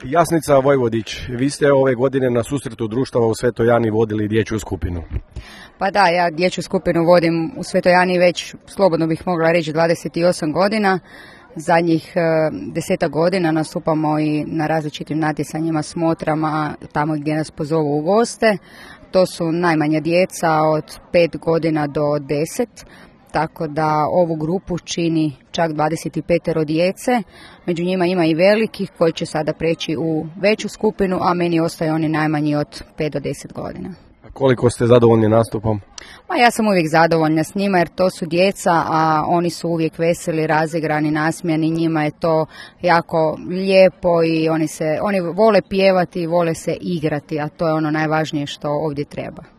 Jasnica Vojvodić, vi ste ove godine na susretu društava u Svetoj Ani vodili dječju skupinu. Pa da, ja dječju skupinu vodim u Svetoj Ani već, slobodno bih mogla reći, 28 godina. Zadnjih 10 godina nastupamo i na različitim natjecanjima, smotrama, tamo gdje nas pozovu u goste. To su najmanja djeca od 5 godina do 10. Tako da ovu grupu čini čak 25 djece, među njima ima i velikih koji će sada preći u veću skupinu, a meni ostaju oni najmanji od 5 do 10 godina. Koliko ste zadovoljni nastupom? Ja sam uvijek zadovoljna s njima jer to su djeca, a oni su uvijek veseli, razigrani, nasmijani, njima je to jako lijepo i oni vole pjevati, vole se igrati, a to je ono najvažnije što ovdje treba.